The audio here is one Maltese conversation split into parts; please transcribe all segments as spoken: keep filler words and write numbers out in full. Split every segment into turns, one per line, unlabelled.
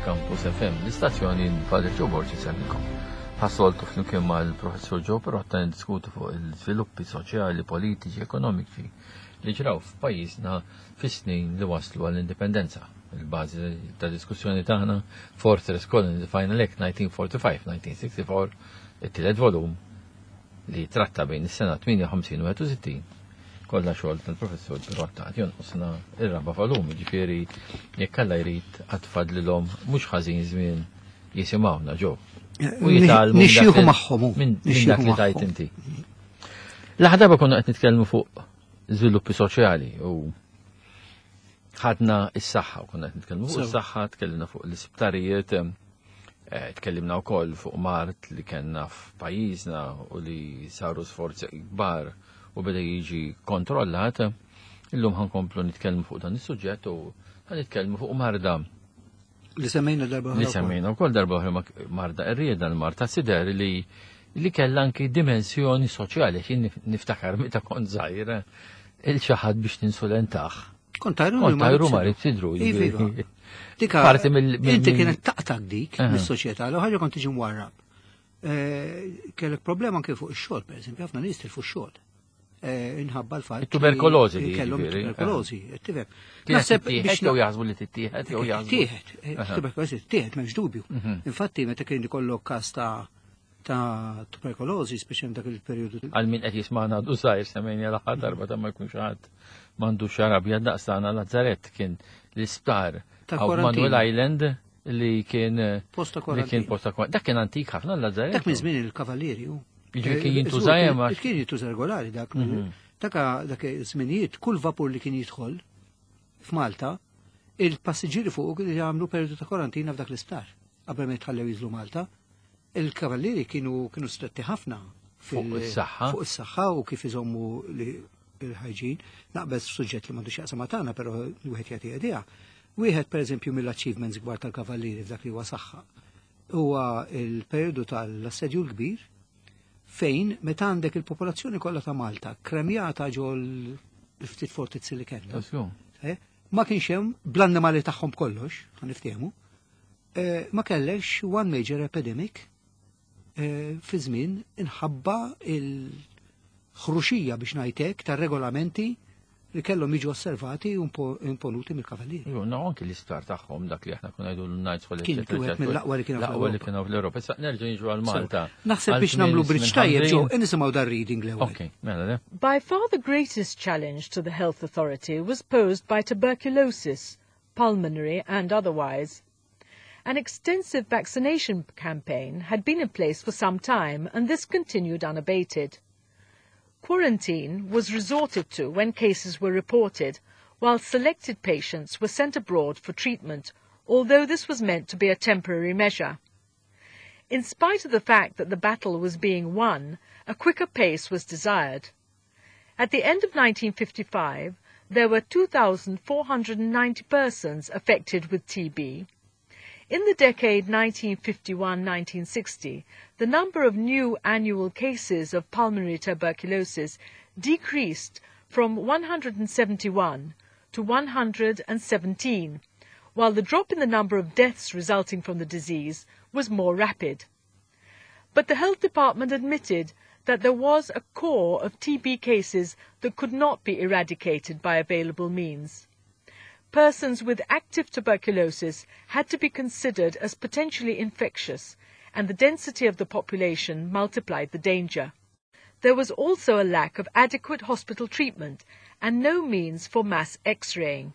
Campus F M, l-istazzjoni Father Joe Borg isellmilkom. Bħas-soltu flimkien mal-Professur Joe Pirotta niddiskutu fuq il-żviluppi soċjali, politiċi, ekonomiċi li ġraw f'pajjiżna fis-snin li waslu għall-indipendenza. Il-bażi ta' diskussjoni tagħna Fortress Colony, The Final Act nineteen forty-five nineteen sixty-four, it-tielet volum li tratta bejn is-sena tmienja u ħamsin u wieħed u sittin, kollha xogħol tal-Professur Pirotta. Għad jonqosna ir-raba' volum, ġifieri jekk Alla jrid għad fadlilhom mhux ħażin żmien jisimgħuna ġo. U jitgħallmu minn dak
Nixjieħu
li-
magħhom.
Minn minn dak li tajt inti. L-aħħar darba konna qed nitkellmu fuq żviluppi soċjali u ħadna is-saħħa u konna qed nitkellmu fuq
Sew.
is-saħħa, tkellimna fuq l-isptarijiet, eh, tkellimna wkoll fuq mard li kellna f'pajjiżna u li saru sforzi kbar u beda jiġi kontrollat. Illum ħa nkomplu nitkellmu fuq dan is-suġġett u ħa nitkellmu fuq marda
Li semmejna darba
li
oħra wkoll.
Semmejna wkoll darba oħra, ma- marda qerrieda, l-marda sider li li kellha anki dimensjoni soċjali. Jien niftakar meta kont żgħir, lil xi ħadd biex tinsulentah.
Kont tajru.
Kont tajru marid sidru.
Iva, iva. Dika,
Parti mill- mill-
inti
mill-
kienet taqtak dik
Aha.
mis-soċjetà, l ħaġa kont tiġi mwarrab. Eh, Kellek problema anke fuq ix-xogħol, pereżempju, ħafna nies tilfu x-xogħol. Eh, Inħabba l-fatt
It-tuberkolożi
li
li
kellhom
jiġifieri,
tuberkolożi, tifhem.
Kienet
Naħseb
tittieħed
biex
jew jaħsbu li tittieħed jew jaħsbu.
Tieħed, eh,
Aha.
tuberkolożi tieħed, m'hemmx dubju.
Mhm.
Infatti meta kien ikollok każ ta' ta' tuberkolożi, speċjalment dak il-perjodu.
Għal min qed jisma'na għadu żgħir, semmejna l-aħħar darba ta' ma jkunx ħadd m'għandu xarab daqsana, Lazaret kien l-isptar
Ta'
għaw
kwarantina.
Manuel Island li kien
Posta
li kien
kwarantina.
posta kwarantina. Dak kien antik ħafna l-Lazaret.
Dak minn żmien il-kavallieri hu.
Jiġifieri kien
Eh,
jintuża
żgur,
hemm għax-
Kien jintuża regolari dak.
Mhm.
Daka dak żminijiet kull vapur li kien jidħol f'Malta, il-passiġġieri fuq kienu jagħmlu periodu ta' kwarantina f'dak l-isptar qabel ma jitħallew jiżlu Malta. Il-kavallieri kienu kienu stretti ħafna fil-
Fuq is-saħħa.
Fuq is-saħħa u kif iżommu li il-hygiene. Naqbeż suġġett li m'għandux jaqsam ma' tagħna, però wieħed jagħti idea. Wieħed pereżempju mill-achievements kbar tal-kavallieri f'dak li huwa saħħa huwa il-periodu tal-assedju l-kbir, fejn meta għandek il-popolazzjoni kollha ta' Malta kremjata ġo l-ftit fortizzi li kellna.
Żgur.
Eh, Ma kienx hemm bl-annimali tagħhom kollox, ħa niftehmu, eh, ma kellekx one major epidemic eh, fi żmien inħabba il-ħruxija, biex ngħidlek, tar-regolamenti li kellhom jiġu osservati u impo- imponuti mill-kavallieri.
Ju, no, anki l-isptar tagħhom, dak li aħna kuna ngħidu l-Knights Hall.
Kien wieħed mill-aqwa li kienu
L-aqwa li
fl-Ewropa.
kienu fl-Ewropa. Issa nerġa' niġu għal Malta.
Naħseb
Għal
biex nagħmlu
żmien
bridge tajjeb ġo,
ħamrin.
nisimgħu dar reading l-ewwel.
Ok, mela le.
By far the greatest challenge to the health authority was posed by tuberculosis, pulmonary and otherwise. An extensive vaccination campaign had been in place for some time, and this continued unabated. Quarantine was resorted to when cases were reported, while selected patients were sent abroad for treatment, although this was meant to be a temporary measure. In spite of the fact that the battle was being won, a quicker pace was desired. At the end of nineteen fifty-five, there were two thousand four hundred ninety persons affected with T B. In the decade nineteen fifty-one nineteen sixty, the number of new annual cases of pulmonary tuberculosis decreased from one hundred seventy-one to one hundred seventeen, while the drop in the number of deaths resulting from the disease was more rapid. But the health department admitted that there was a core of T B cases that could not be eradicated by available means. Persons with active tuberculosis had to be considered as potentially infectious, and the density of the population multiplied the danger. There was also a lack of adequate hospital treatment and no means for mass x-raying.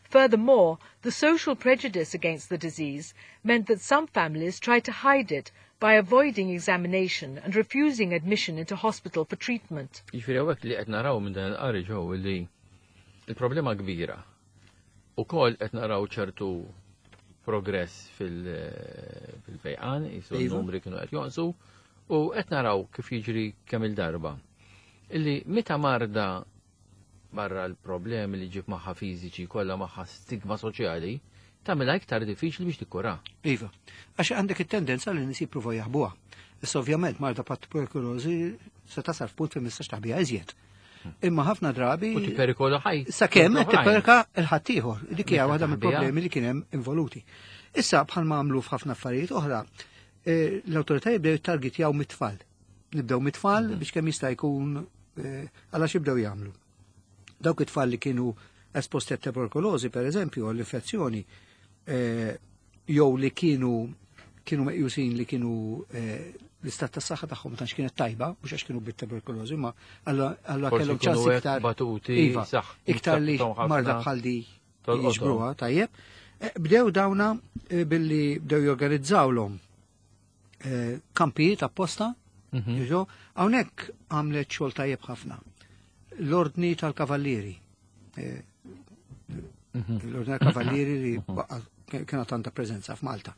Furthermore, the social prejudice against the disease meant that some families tried to hide it by avoiding examination and refusing admission into hospital for treatment.
Jiġifieri hawnhekk li qed naraw minn dan il-qari ġew li il-problema kbira. Ukoll qed naraw ċertu progress fil- fil-fejqan, jisu
Iva.
n-numri kienu qed jonqsu, u qed naraw kif jiġri kemm il-darba. Illi meta marda, barra l-problemi li ġib magħha fiżiċi, kollha magħha stigma soċjali, tagħmilha iktar diffiċli biex tikkura.
Iva, għax għandek it-tendenza li nies jippruvaw jaħbuha. Issa ovvjament marda bħat tuberkulożi se tasal f'punt fejn mistax taħbiha iżjed. Imma ħafna drabi
U tipperikola ħaj.
sakemm qed
oħrajn.
tipperikola 'l ħaddieħor. Dik hija waħda
taħbiha.
mill-problemi li kien hemm involuti. Issa bħalma għamlu f'ħafna affarijiet oħra, eh, l-awtoritajiet bdew jittargetjaw mit-tfal. Nibdew mit-tfal biex kemm jista' jkun eh, għala x'ibdew jagħmlu. Dawk it-tfal li kienu esposti għat tuberkulożi, per eżempju, għall-infezzjoni, eh, jew li kienu kienu meqjusin li kienu eh, l-istat tas saħħa tagħhom ma tantx kienet tajba, mhux għax kienu bit-tuberkulożi, ma alla alla
Forsi
kellhom
kienu
ċans
hekk
iktar
batuti,
Iva,
saħ-
iktar li
saħħithom ħafna.
marda bħal di
Tolqothom.
jiġbruha, tajjeb. Eh, Bdew dawna eh, billi bdew jorganizzawlhom eh, kampijiet apposta,
Mhm.
jiġu, hawnhekk għamlet xogħol tajjeb ħafna. L-ordni tal-kavallieri. Eh,
Mhm.
L-ordni tal-kavallieri li baqa- kienet għandha preżenza f'Malta.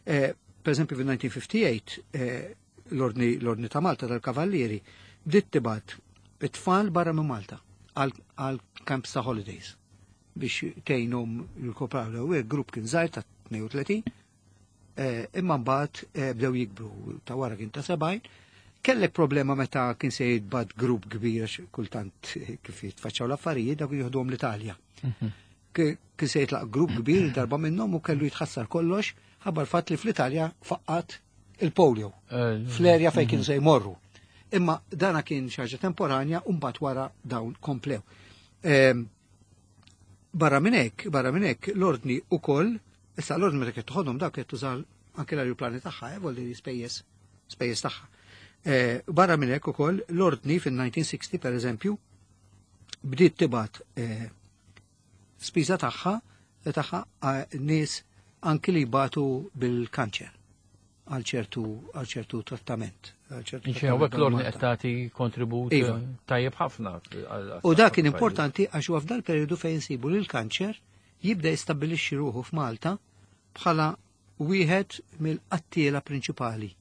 Eh, Per eżempju, fil-elf disa' mija u tmienja u ħamsin eh, l-ordni l-ordni ta' Malta tal-kavallieri bdiet tibgħat it-tfal barra minn Malta għal għal camps ta' holidays biex tgħinhom jirkupraw l grupp kien żgħir ta' tnejn u tletin, eh, imma mbagħad eh, bdew jikbru, ta' wara kien ta' sebgħin. Kellek problema meta kien se jitbagħat grupp kbir għax kultant eh, kif jitfaċċaw l-affarijiet dak jieħduhom l-Italja. Ki- Kien se jitlaq grupp kbir darba minnhom u kellu jitħassar kollox ħabba l-fatt li fl-Italja faqqat il-polio
Eh,
fl-erja fejn kienu se jmorru. Imma dana kien xi ħaġa temporanja u mbagħad wara dawn komplew. Ehm, Barra minn hekk, barra minn hekk, l-ordni ukoll, issa l-ordni meta kienet toħodhom dak kienet tuża anke l-ajruplani tagħha, eh, vuol dire spejjeż spejjeż tagħha. Eh, Barra minn hekk ukoll l-ordni fil-elf disa' mija u sittaw per eżempju bdiet tibgħat eh, spiża tagħha tagħha eh, nies anki li jbatu bil-kanċer għal ċertu għal ċertu trattament. Għal ċertu
Inxie, għek l-ordni
Malta.
qed tagħti kontribut
Iva.
eh, tajjeb ħafna. għal-
U dak kien
għas-saħħa
importanti għax huwa f'dal periodu fejn insibu li l-kanċer jibda jistabbilixxi ruħu f'Malta bħala wieħed mill-qattiela prinċipali.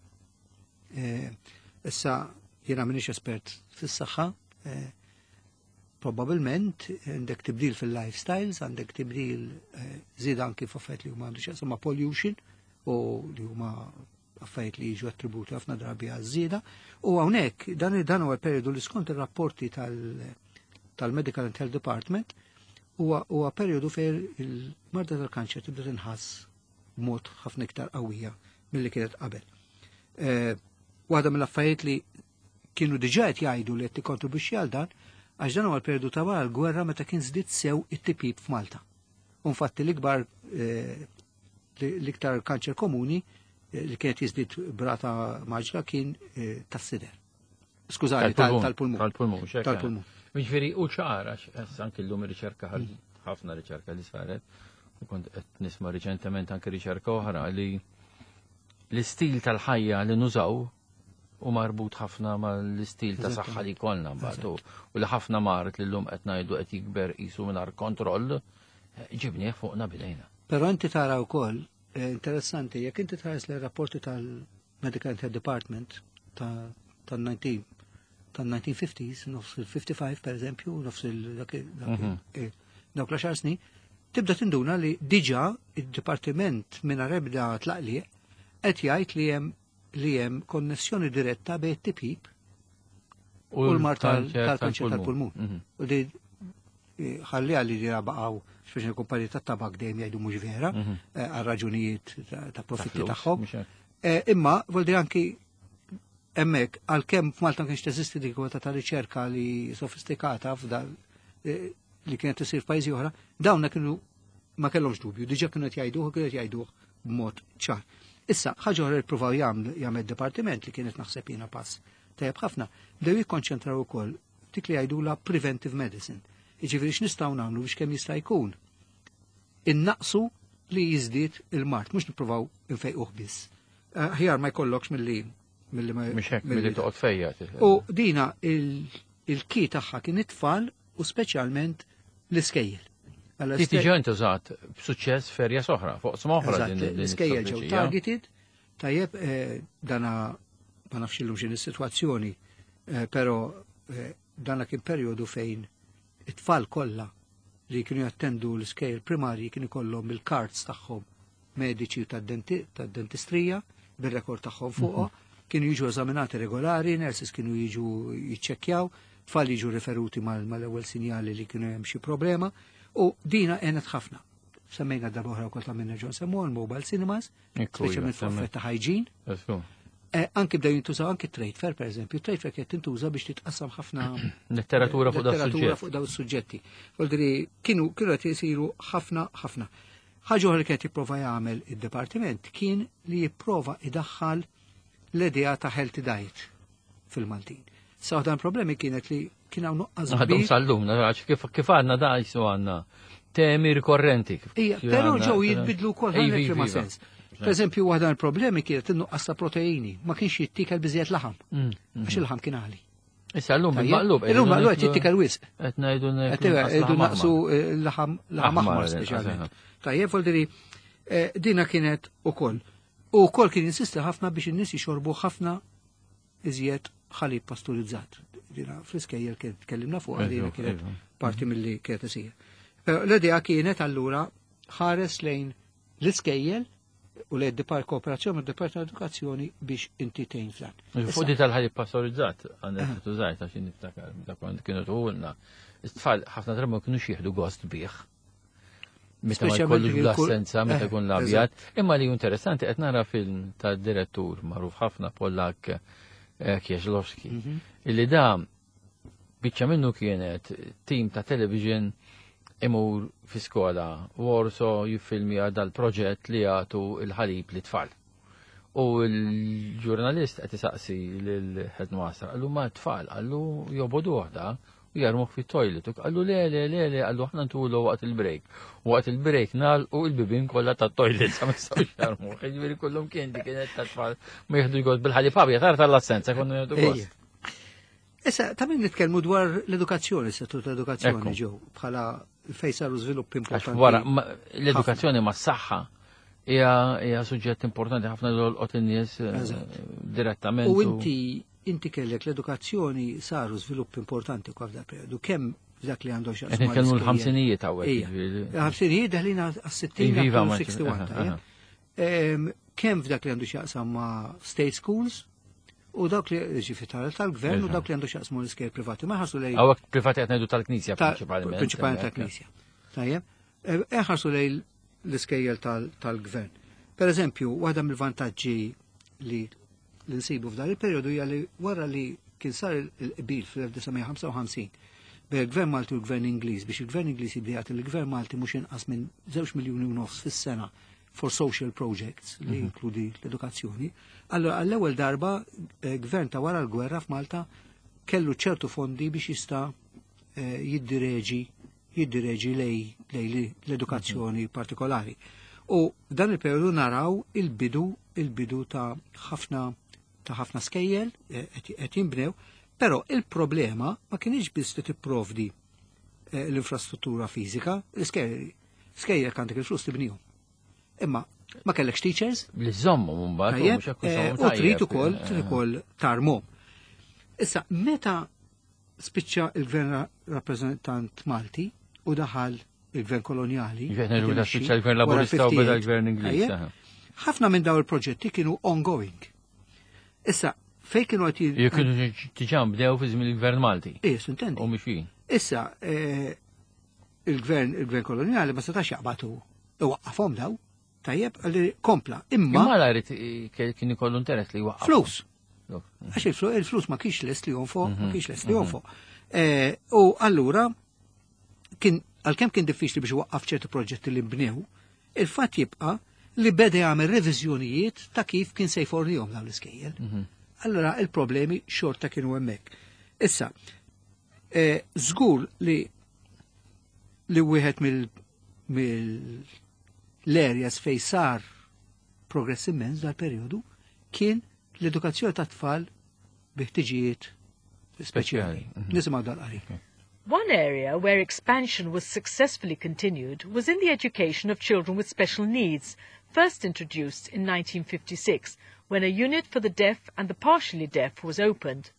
Eh, Issa jiena m'iniex espert fis-saħħa, eh, probabilment għandek tibdil fil-lifestyles, għandek tibdil eh, żieda anki f'affarijiet li huma għandu x'jaqsam ma' pollution u li huma affarijiet li jiġu attributi ħafna drabi għaż-żieda. U hawnhekk dan dan huwa l-periodu li skont ir-rapporti tal- tal-Medical and Health Department huwa huwa periodu fejn il-marda tal-kanċer tibda tinħass b'mod ħafna iktar qawwija milli kienet qabel. Eh, Waħda mill-affarijiet li kienu diġà qed jgħidu li qed tikkontribwixxi għal dan, għax dan huwa l-periodu ta' wara l-gwerra meta kien żdied sew it-tipjip f'Malta. U infatti l-ikbar eh, l-iktar kanċer komuni eh, li kienet jiżdied b'rata mgħaġġla kien eh, tas-sider. Skużani, tal- tal-pulmun.
Tal-pulmun, xek.
Tal-pulmun.
Jiġifieri, u ċara, anki l-lum riċerka ħarġet, ħafna riċerka li saret, u kont qed nisma' riċentement anke riċerka oħra li l-istil tal-ħajja li nużaw u marbut ħafna ma l-istil ta' saħħa li kollna mbagħad u u li ħafna mard li llum qed ngħidu qed jikber qisu mingħajr kontroll, eh, ġibnieh fuqna bidejna.
Però inti tara wkoll eh, interessanti, jekk inti tħares l rapporti tal-Medical and Health Department ta' tal-nineteen tal-nineteen fifties, nofs il-ħamsa u ħamsin per eżempju, nofs il dak dak-
Mhm.
eh, dawk l-għaxar snin, tibda tinduna li diġà id-dipartiment minn ebda tlaqliq qed jgħid li hemm li hemm konnessjoni diretta bejn it-tipjip u l-mard tal- tal-kanċer tal-pulmun.
Mhm.
U li eh, ħalli għalli li baqgħu speċi kumpaniji tat-tabak dejjem jgħidu mhux vera
Mhm.
eh, għal raġunijiet ta' ta' profitti
flus,
tagħhom.
mhux hekk.
Eh, Imma vuol dire anki hemmhekk għalkemm f'Malta ma kienx teżisti dik kwalità ta' riċerka li sofistikata f'dal eh, li kienet isir f'pajjiżi oħra, dawna kienu ma kellhomx dubju, diġà kienu qed jgħiduh u kienu qed jgħiduh b'mod ċar. Issa, ħaġa oħra li ppruvaw jagħmel jagħmel dipartiment li kienet naħseb jiena pass tajjeb ħafna, bdew jikkonċentraw ukoll dik li jgħidula preventive medicine. Jiġifieri x'nistgħu nagħmlu biex kemm jista' jkun innaqsu li jiżdied il-mard, mhux nippruvaw infejquh biss. Eh, Aħjar ma jkollokx milli milli ma
Mhux hekk milli toqgħod fejja.
U dina il- il-ki tagħha kien it-tfal u speċjalment l-iskejjel. Għalla
Ti diġà intużat b'suċċess f'erja oħra, fuq oħra
Eżatt,
din din
l-iskejjel ġew
l-istrateġija.
targeted, tajjeb, eh, dana ma nafx illum x'in is-sitwazzjoni, eh, però eh, dana kien perjodu fejn it-tfal kollha li kienu jattendu l-iskejjel primarji kienu kollhom il-cards tagħhom mediċi u tad-denti- tad-dentistrija bir-rekord tagħhom fuqha, kienu jiġu eżaminati regolari, nurses kienu jiġu jiċċekkjaw, tfal jiġu referuti mal- mal-ewwel sinjali li kienu hemm xi problema, u dina għenet ħafna. Semmejna darba oħra wkoll ta' minna ġon semmu l-mobile cinemas,
Ekku, iva,
speċjalment fuq
semmi.
effett ta' hygiene.
Ekku.
Eh, Anki bdew jintużaw anki trade fair, per eżempju, trade fair kienet tintuża biex titqassam ħafna
Letteratura fuq da
letteratura
suġġett.
Fuq daw is-suġġetti. Vuol kienu kienu qed isiru ħafna ħafna. Ħaġa oħra li kienet jipprova jagħmel id-dipartiment kien li jipprova idaħħal l-idea ta' healthy diet fil-Maltin. Sa dan problemi kienet li kien hawn nuqqas
Għadhom
kbir.
sal-lum, għax kif kif għandna da jisu għandna temi rikorrenti. Kif-
Ija,
kif
però
għandna-
ġew jitbidlu wkoll
Iva,
ħalli ma
iva.
sens. Per eżempju, waħda mill-problemi kienet in-nuqqas ta' proteini, ma kienx jittikel biżejjed laħam,
Mm,
għax il-laħam kien għali.
Issa l-lum
Tajjeb?
bil-maqlub.
Illum maqlub qed jittikel wisq.
Qed ngħidu
Qed irridu naqsu eh, laħam laħam
Aħmar,
aħmar
eh,
speċjalment. Tajjeb, vuol eh, dina kienet ukoll. U wkoll kien insisti ħafna biex in-nies jixorbu ħafna iżjed ħalib pasturizzat. Dina fl-iskejjel kien tkellimna fuq dina
Eżu,
kienet
eżu.
parti mill-li kienet isir. Però l-idea kienet allura ħares lejn l-iskejjel u lejn dipar kooperazzjoni mad-Dipartiment Edukazzjoni biex inti tgħin f'dan.
Fuq di tal-ħalib pastorizzat, għandek tużajt għax niftakar, dak kont kienu tuħulna. It-tfal ħafna drabi ma kienux jieħdu gost bih. Meta ma
Speċjalment
jkollux
jekk ikun-
bl-assenza, meta
eh,
jkun l-abjad. Imma li interessanti qed nara film ta' direttur magħruf ħafna Pollak eh, Kieślowski.
Mhm.
Illi da biċċa minnu kienet tim ta' television imur fi skola Warsaw jiffilmja dal-proġett li jagħtu il-ħalib li tfal. U l-ġurnalist qed isaqsi lill-headmaster, qallu ma tfal, qallu jobogħdu waħda u jarmuh fit-toilet. U qallu le, le, le, le, qallu aħna ntulu waqt il-break. U waqt il-break nagħlqu il-bibien kollha tat-toilet sa ma jistgħux jarmuh. Jiġifieri kullhom kien dik kienet ta' tfal ma jieħdu gost bil-ħalib abjad, tara tal-assenza konna jieħdu gost.
Issa, ta' min nitkellmu dwar l-edukazzjoni, settur tal-edukazzjoni
Ekku.
ġew, bħala fejn saru żviluppi
Għax
importanti.
wara, ma- l-edukazzjoni ma' s-saħħa hija hija suġġett importanti ħafna li jolqot in-nies eh,
Eżatt.
direttament.
U inti inti kellek l-edukazzjoni saru żviluppi importanti kwa f'dak periodu, kemm f'dak li għandu x'jaqsmu
Qed nitkellmu
mal-iskejjel.
l-ħamsinijiet hawnhekk.
Ija.
jiġifieri.
Il-ħamsinijiet deħlin għas-sittin
Iva, ma-
sixty-one,
aha,
tajjeb?
aha.
Em, Kemm f'dak li għandu x'jaqsam ma' state schools u dawk li ġifi tal-gvern u
Eżatt.
dawk li għandu x'jaqsmu l-iskejjel privati. Ma ħarsu lejn
Hawnhekk privati qed ngħidu tal-Knisja
ta'
prinċipalment.
Prinċipalment tal-Knisja. Tajjeb? Eħarsu lejn l-iskejjel tal- tal-gvern. Per eżempju, waħda mill-vantaġġi li li nsibu f'dan il-perjodu hija li wara li kien sar il-qbil fl-elf disa' mija ħamsa u ħamsin bejn il-Gvern Malti u l-Gvern Ingliż biex il-Gvern Ingliż jibda jagħti l-Gvern Malti mhux inqas minn żewġ miljuni u nofs fis-sena for social projects li jinkludi l-edukazzjoni. Allora għall-ewwel darba eh, gvern ta' wara l-gwerra f'Malta kellu ċertu fondi biex jista' eh, jiddireġi jiddireġi lej, lej l-edukazzjoni partikolari. U f'dan il-periodu naraw il-bidu il-bidu ta' ħafna ta' ħafna skejjel eh, qed qed jinbnew, però il-problema ma kienx biss li tipprovdi eh, l-infrastruttura fiżika, l-iskejjel skejjel għandek il-flus tibnihom. Imma ma kellekx teachers,
Li żommu mbagħad u
Tajjeb,
mhux hekk
eh,
iżommu
u trid
tajjeb.
ukoll trid ukoll tarmhom. Issa, meta spiċċa il-gvern rappreżentant Malti u daħal il-gvern koloniali.
Ġifieri ngħidu meta
imexxi
spiċċa l-gvern
wara
Laburista u beda
ħamsa u
l-gvern Ingliż.
Tajjeb,
aha.
ħafna minn daw il-proġetti kienu ongoing. Issa, fej kienu għati.
Jew kienu diġà bdew fi żmien il-gvern Malti.
Ija, intendi.
U mixin.
Issa, eh, il-gvern il-gvern koloniali ma setax jaqbatu iwaqqafhom daw, tajjeb, għalli kompla. Imma
Imma la jrid kien ikollu interess li jwaqqaf.
Flus.
Look.
Għax il-flu- il-flus ma kienx lest li jonfoq, ma kienx lest li jonfoq. Eh, U allura, kien għalkemm kien diffiċli biex waqqaf ċerti proġetti li nbnew, il-fatt jibqa' li beda jagħmel reviżjonijiet ta' kif kien se jfornihom dawn l-iskejjel. Allora il-problemi xorta kienu hemmhekk. Issa, eh, żgur li li wieħed mill mill l-areas fej sar progress immens dal-periodu kien l-edukazzjoni ta' tfal bi ħtiġijiet speċjali.
Speċjali, mhm.
Nisimgħu dal-qari.
One area where expansion was successfully continued was in the education of children with special needs, first introduced in nineteen fifty-six when a unit for the deaf and the partially deaf was opened.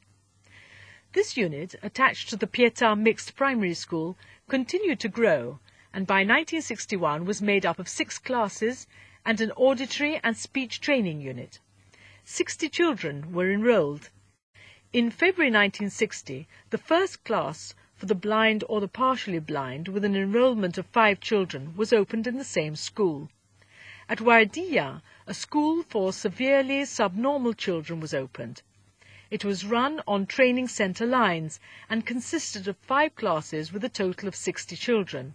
This unit, attached to the Pietà Mixed Primary School, continued to grow and by nineteen sixty-one was made up of six classes and an auditory and speech training unit. sixty children were enrolled. In February nineteen sixty, the first class for the blind or the partially blind with an enrollment of five children was opened in the same school. At Wardija, a school for severely subnormal children was opened. It was run on training center lines and consisted of five classes with a total of sixty children.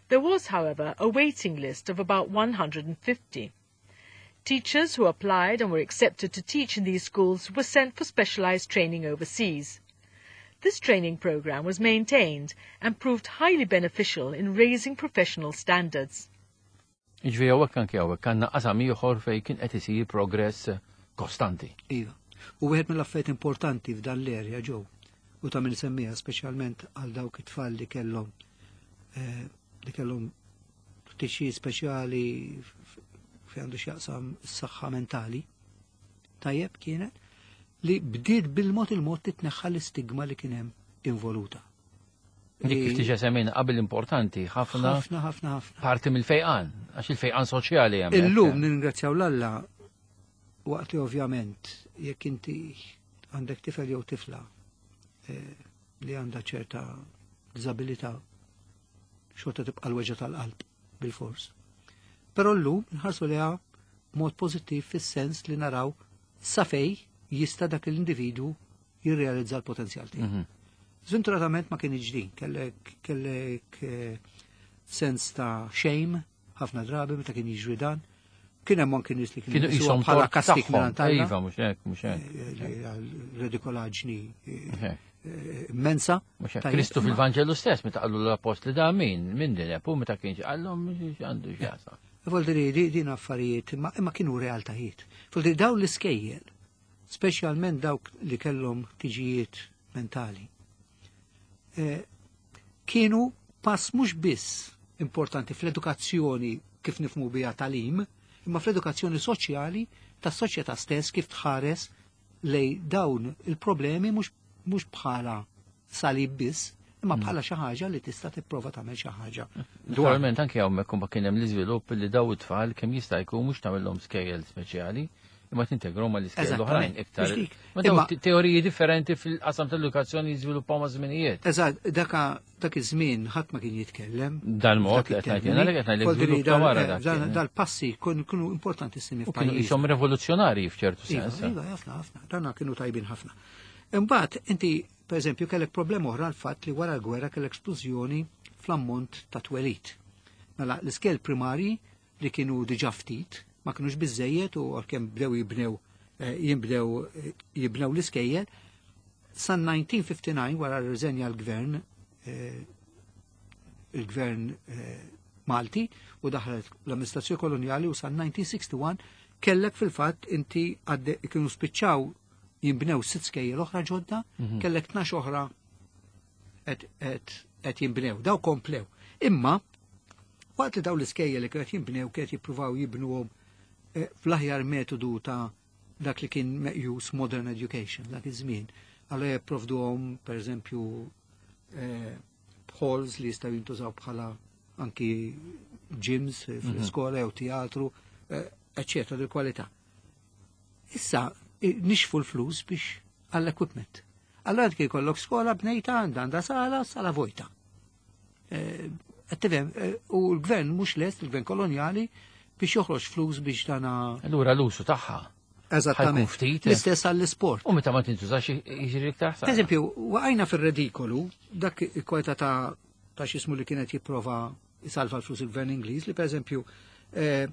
There was, however, a waiting list of about one hundred and fifty. Teachers who applied and were accepted to teach in these schools were sent for specialized training overseas. This training program was maintained and proved highly beneficial in raising professional standards.
Ġifieri hawnhekk anke hawnhekk għandna qasam ieħor fejn kien qed isir progress kostanti.
Iva. U wieħed mill-affarijiet importanti f'dan l-erja ġew u ta' min semmija speċjalment għal dawk it-tfal li kellhom, eh, li kellhom ħtiġijiet speċjali fi għandu x'jaqsam s-saħħa mentali. Tajjeb kienet li bdiet bil-mod il-mod titneħħa l-istigma li kien hemm involuta.
Dik kif diġà semmejna qabel importanti ħafna
ħafna, ħafna, ħafna.
Parti mill-fejqan, għax il-fejqan soċjali hemm.
Illum nirringrazzjaw l-Alla waqt li ovvjament jekk inti għandek tifel jew tifla, eh, li għandha ċerta diżabilità xorta tibqa' l-weġgħa tal-qalb bil-fors. Però llum nħarsu liha b'mod pożittiv fis-sens li naraw sa fej jista' dak l-individwu jirrealizza l-potenzjal tiegħu.
Mhm.
Żventuratament ma kienx din, kellek, kellek, eh, sens ta' shame ħafna drabi meta kien jiġri dan. Kien hemm anke nies li kienu
Kienu
jqisuha
qishom
bħala
tort
kastik
tagħhom.
minn għand Alla.
Iva, mhux hekk, mhux hekk.
Eh, eh, Redikolaġni, eh,
Mhux hekk.
eh, immensa.
Mhux hekk.
Tajjeb,
Kristu
imma
fil-Vanġelu stess meta qallu l-apostli da min, min din u meta kienx qallhom għandu x'jaqsam.
Voldiri, di-, din affarijiet, imma, imma kienu realtajiet. Voldiri, dawn l-iskejjel, speċjalment dawk li kellhom ħtiġijiet mentali, eh, kienu pass mhux biss importanti fl-edukazzjoni kif nifhmu biha tagħlim, imma fl-edukazzjoni soċjali tas-soċjetà stess kif tħares lej dawn il-problemi mhux, mhux bħala salib biss, imma
Mm.
bħala xi ħaġa li tista' tipprova tagħmel xi ħaġa.
Naturalment anke hawnhekk kumba kien hemm l-iżvilupp li daw it-tfal kemm jista' jkun mhux tagħmilhom skejjel speċjali, imma tintegrhom mal-iskejjel l-oħrajn
Eżattament.
iktar.
Mhux dik.
Ma daw
Imma
te-, teoriji differenti fil-qasam tal-edukazzjoni jiżviluppaw ma' żminijiet.
Eżatt, daka dak iż-żmien ħadd ma kien jitkellem.
Dal-mod
Dak
li qed ngħid
it-termini.
jiena li qed ngħidlek
Voldiri,
żvilupp ta'
dal-
wara
eh,
dak
dal-
kien.
Dal-passi kienu kienu importantissimi
U kienu
f'pajjiż.
qishom rivoluzzjonarji f'ċertu
Iva,
sens.
iva, ħafna, ħafna. Dana kienu tajbin ħafna. Imbagħad inti, per eżempju, kellek problema oħra l-fatt li wara l-gwerra kellek splużjoni fl-ammont ta' twelid. Mela l-iskejjel primari li kienu diġà ftit, ma kienux biżejjed u għalkemm bdew jibnew, eh, jimbdew, eh, jibnew l-iskejjel, san nineteen fifty-nine wara rriżenja l-gvern, eh, il-gvern, eh, Malti u daħlet l-amministrazzjoni koloniali u san nineteen sixty-one kellek fil-fatt inti għadde kienu spiċċaw jimbnew sitt skejjel oħra ġodda,
Mhm.
kellek tnax oħra qed, qed, qed jimbnew, daw komplew. Imma waqt li daw l-iskejjel li kienet jimbnew kienet jippruvaw jibnuhom, eh, fl-aħjar metodu ta' dak li kien meqjus modern education, dak iż-żmien. Allora jipprovduhom, per eżempju, eh, halls li jistgħu jintużaw bħala anki gyms fl-iskola jew teatru, eh, eccetera, di kwalità. Issa, eh, nixfu l-flus biex għall-equipment. Allora kien jkollok skola bnejta għandha għandha sala, sala vojta. Eh, qed tifhem, eh, u l-gvern mhux lest, il-gvern kolonjali, biex joħroġ flus biex dana.
Allura l-usu tagħha.
Eżattament.
Ħajkun ftit.
L-istess għall-isport.
U meta ma tintużax jiġri iktar ħsara.
Per eżempju, waqajna fir-redikolu, dak il-kwalità ta', ta' x'ismu li kienet jipprova jsalva l-flus il-gvern Ingliż, li per eżempju, eh,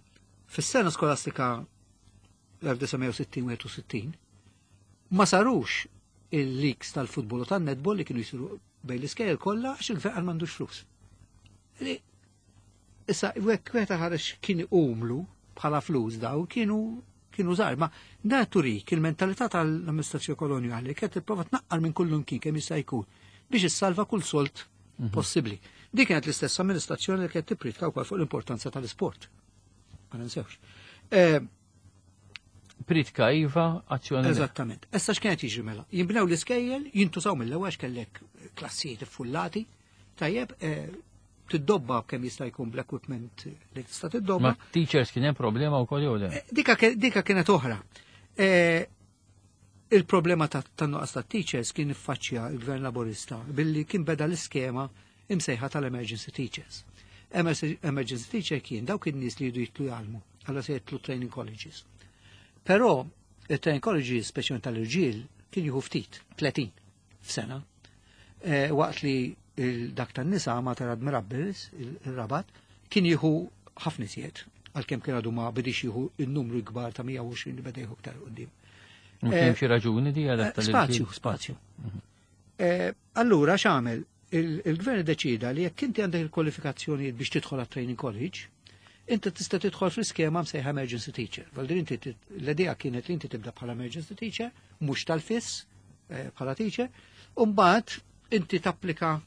fis-sena skolastika l-elf disa' mija u sittin wieħed u sittin, ma sarux il-leaks tal-futbol u tan-netball li kienu jisiru bejn l-iskejjel kollha għax il-gvern għal m'għandux flus. Li, issa, wieħed wieħed ħareġ kien umlu bħala flus daw kienu kienu żgħar, ma da turik il-mentalità tal-amministrazzjoni kolonjali kienet tipprova tnaqqar minn kullu mkien kemm jista' jkun biex issalva kull solt
Mhm.
possibbli. Dik kienet l-istess amministrazzjoni li kienet tippritka wkoll fuq l-importanza tal-isport. Ma ninsewx. Eh,
Pritka iva, azzjoni le.
Eżattament. Issa x'kienet jiġri mela? Jinbnew l-iskejjel, jintużaw mill-ewwel għax kellek klassijiet iffullati, tajjeb, eh, tiddobba kemm jista' jkun bl-equipment li tista' tiddobba.
Ma teachers kien hemm problema wkoll jew le?
Eh, dika ke-, dika kienet oħra. Eh, Il-problema ta' tan-nuqqas ta' teachers kien iffaċċja il-Gvern Laborista billi kien beda l-iskema imsejħa tal-emergency teachers. Emergency emergency teacher kien dawk in-nies li jridu jitlu jgħallmu, għalla se jitlu training colleges. Però il-training colleges, speċjalment tal-irġiel, kien jieħu ftit, tletin f'sena. Eh, waqt li il- dak tan-nisa Mater Admirabilis, il-Rabat, kien jieħu ħafna iżjed, għalkemm kien għadu ma bidix jieħu il-numru kbar ta' mija u għoxrin li beda jieħu iktar quddiem.
Ma kien xi raġuni di għal
Eh, Spazju, spazju. Eh, Allura x'għamel? Il- Il-gvern deċida li jekk inti għandek il-kwalifikazzjonijiet biex tidħol għat training college, inti tista' tidħol fl-iskema msejħa emergency teacher. Vuol inti tit- l-idea kienet li inti tibda bħala emergency teacher, mhux tal-fiss eh, bħala teacher, u mbagħad inti tapplika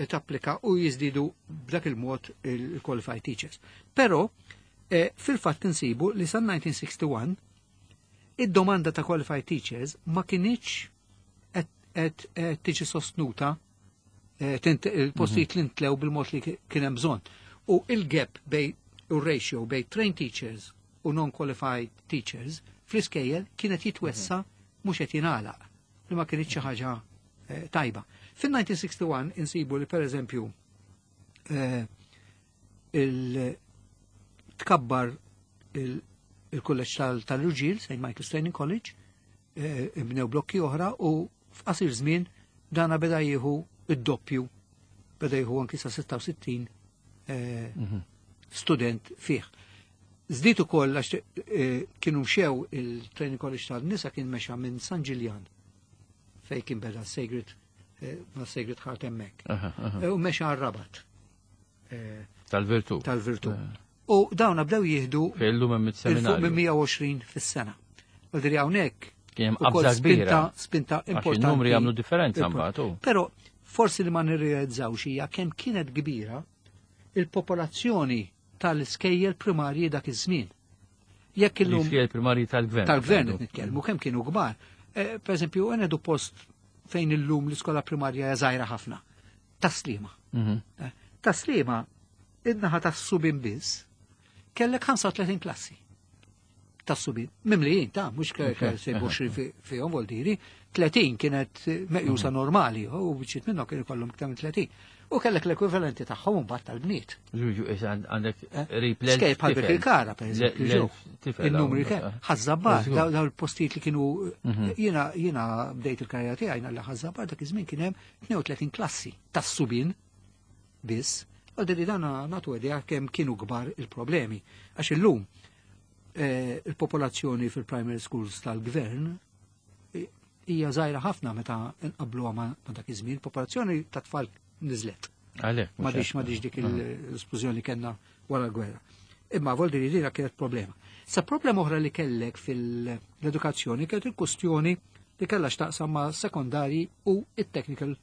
tapplika u jiżdiedu b'dak il-mod il-qualified teachers. Però eh, fil-fatt insibu li sa elf disa' mija u wieħed u sittin id-domanda ta' qualified teachers ma kinitx qed qed tiġi sostnuta, eh, tint- il-postijiet li ntlew bil-mod li kien hemm bżonn. U il-gap bejn u ratio bejn trained teachers u non-qualified teachers fl-iskejjel kienet jitwessa, mhux qed jingħalaq, li ma kienx xi ħaġa eh, tajba. Fin-elf disa' mija u wieħed u sittin insibu li, pereżempju, eh, il-tkabbar il-kulleġġ tal-irġiel, Saint Michael's Training College, eh, bnew blokki oħra u f'qasir żmien dana beda jieħu id-doppju, beda jieħu anki sa sitta u sittin eh, student fih. Żdied ukoll għax eh, kienu mxew il-Training College tal-nisa, kien mexa minn San Ġiljan fej kien beda Sacred eh, ma' Sacred Heart hemmhekk.
Aha, aha.
Eh, U mexa għar-Rabat
Tal-Virtu.
Tal-Virtu. U dawna bdew jieħdu
Fejn illum hemm
il fuq minn
it-seminarju.
mija u għoxrin fis-sena. Vuol hawnhekk
Kien hemm
ukoll
qabża kbira.
spinta, spinta
Għax
importanti.
in-numri jagħmlu differenza mbagħad, u.
Però forsi li ma nirrealizzawx hija kemm kienet kbira il-popolazzjoni tal-iskejjel primarji dak iż-żmien. Jekk illum
L-iskejjel primarji tal-gvern.
Tal-gvern qed nitkellmu, kemm kienu kbar. Eh, Per eżempju, għenedu post fejn illum l-iskola primarja hija żgħira ħafna. Tas-Sliema.
Mhm.
Eh, Tas-Sliema, id-naħa tas-subien biss, kellek ħamsa u tletin klassi. Tas-subien. Mimlijin, ta' mhux sejbu fihom, vuol diri, tletin kienet meqjusa normali, u biċċiet minnhom kienu kollhom iktar minn tletin. U kellek l-ekwivalenti tagħhom mbagħad tal-bniet.
Ġuġu, issa għandek
Eh?
qrib l
Skejjel bħal Birkirkara, per eżempju, ġew. Il-numri kemm. Ħaż-Żabbar, daw daw il-postijiet li kienu, jiena jiena bdejt il-karriera tiegħi li Ħaż-Żabbar dak iż-żmien kien hemm tnejn u tletin klassi tas-subien biss. Għaldi li dana natu idea kemm kienu kbar il-problemi. Għax illum eh, il-popolazzjoni fil-primary schools tal-gvern eh, hija żgħira ħafna meta nqabluha ma ma dak iż-żmien, popolazzjoni ta' tfal niżlet.
Għalek.
M'għadix m'għadix dik l-esplużjoni kellna wara l-gwerra. Imma vuol dire dina kienet problema. Sa problema oħra li kellek fil-edukazzjoni kienet il-kustjoni li kellha x'taqsam ma' sekondari u it-technical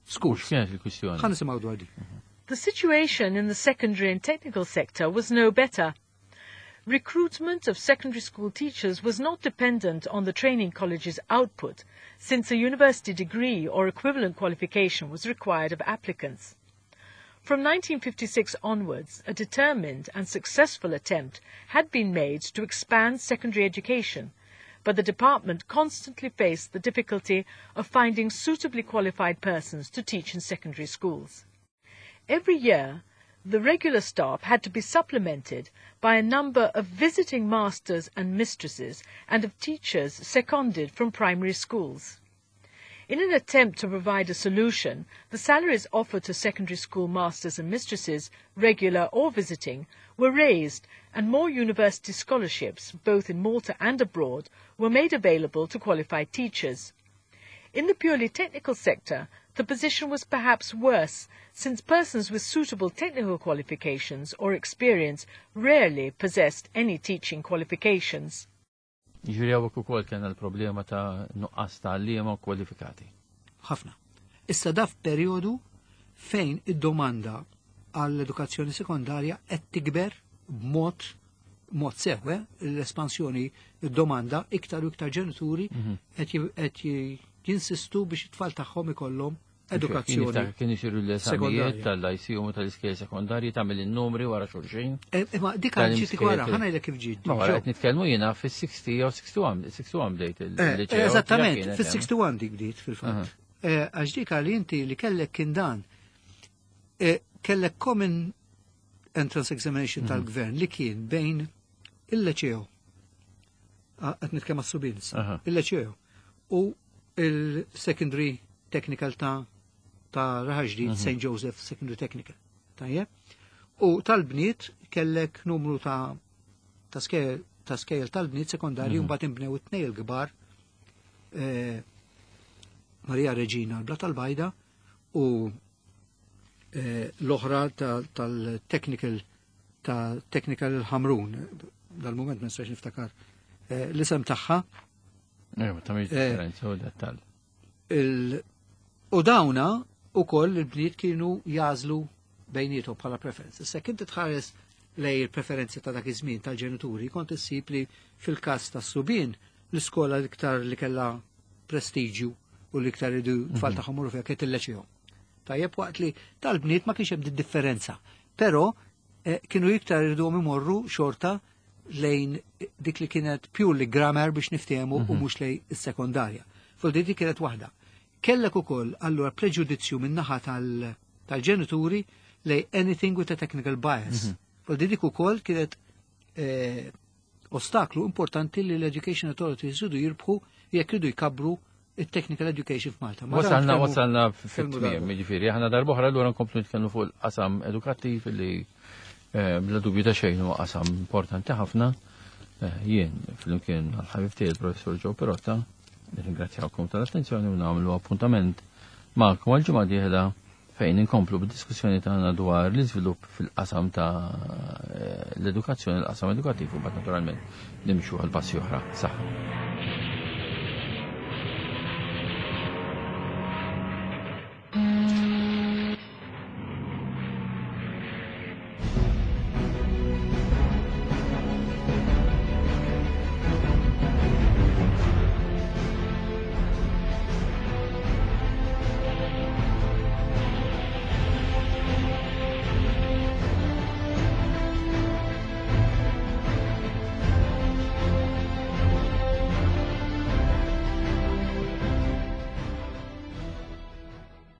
schools.
X'kienet il-kwistjoni?
Ħa nisimgħu dwar di.
The situation in the secondary and technical sector was no better. Recruitment of secondary school teachers was not dependent on the training college's output, since a university degree or equivalent qualification was required of applicants. From nineteen fifty-six onwards, a determined and successful attempt had been made to expand secondary education, but the department constantly faced the difficulty of finding suitably qualified persons to teach in secondary schools. Every year, the regular staff had to be supplemented by a number of visiting masters and mistresses and of teachers seconded from primary schools. In an attempt to provide a solution, the salaries offered to secondary school masters and mistresses, regular or visiting, were raised and more university scholarships, both in Malta and abroad, were made available to qualified teachers. In the purely technical sector, the position was perhaps worse, since persons with suitable technical qualifications or experience rarely possessed any teaching qualifications.
Ġifieri hawnhekk ukoll kien l-problema ta' nuqqas ta' għalliema kwalifikati.
Ħafna. Issa da f'perjodu fejn id-domanda għall-edukazzjoni sekondarja qed tikber b'mod mod sew, eh? L-espansjoni, id-domanda, iktar u iktar ġenituri qed ji- qed ji- jinsistu biex it-tfal tagħhom ikollhom edukazzjoni.
Kien isiru l-eżamijiet tal-Lyceum u tal-iskejjel sekondarji, tagħmel in-numri wara xulxin.
Eh, imma dik ġiet wara, ħa ngħidlek kif ġiet.
Ma wara qed nitkellmu jiena fis-sittin jew wieħed u sittin bdejt il-liċew.
Eh, eżattament, fis-wieħed u sittin dik bdiet fil-fatt. Eh, għax dik li inti li kellek kien dan. Kellek common entrance examination mhm. tal-gvern li kien bejn il-liċew, qed nitkellem għas-subien, il-liċew u il-secondary technical ta' ta' Raħal Ġdid, mhm. Saint Joseph Secondary Technical. Tajjeb? U tal-bniet kellek numru ta' ta' skejjel ta' skejjel tal-bniet sekondarji, mm -hmm. mbagħad inbnew it-tnejn il-kbar, eh, Maria Regina l-Blata l-Bajda u eh, l-oħra tal-technical ta' technical Ħamrun, dal-moment ma nistax niftakar eh, l-isem tagħha.
Ta' differenza u dettal.
U dawna u koll il-bniet kienu jagħżlu bejnietom bħala preferenza. Issa inti tħares lej il-preferenzi ta' dak iż-żmien tal-ġenituri, kont issib li fil-każ tas-subien l-iskola l-iktar li kellha prestiġju u l-iktar iridu tfal mhm. tagħhom fiha kienet il-liċeo. Tajjeb, waqt li tal-bniet ma kienx hemm differenza. Però eh, kienu iktar iridu imorru xorta lejn dik li kienet purely grammar biex niftehmu u mhm. mhux lejn is-sekondarja. Fuq dik kienet waħda. Kellek ukoll allura preġudizzju min-naħa tal-ġenituri lej anything with a technical bias. Mm -hmm. Dik ukoll kienet eh, ostaklu importanti li l-Education Authority jridu jirbħu jekk ridu jkabru il-technical education f'Malta.
Wasalna wasalna fit-tmiem, jiġifieri aħna darb'oħra allura nkomplu nitkellmu fuq il-qasam edukattiv li eh, bla dubju ta' xejn huwa qasam importanti ħafna. Eh, jien flimkien għal-ħabib tiegħi il-Professor Joe Pirotta nirringrazzjawkom tal-attenzjoni u nagħmlu appuntament magħkom għal-ġimgħa dieħla fejn inkomplu bid-diskussjoni tagħna dwar l-iżvilupp fil-qasam ta' l-edukazzjoni, l-qasam edukattiv, u naturalment nimxu għal passi oħra. Saħħa.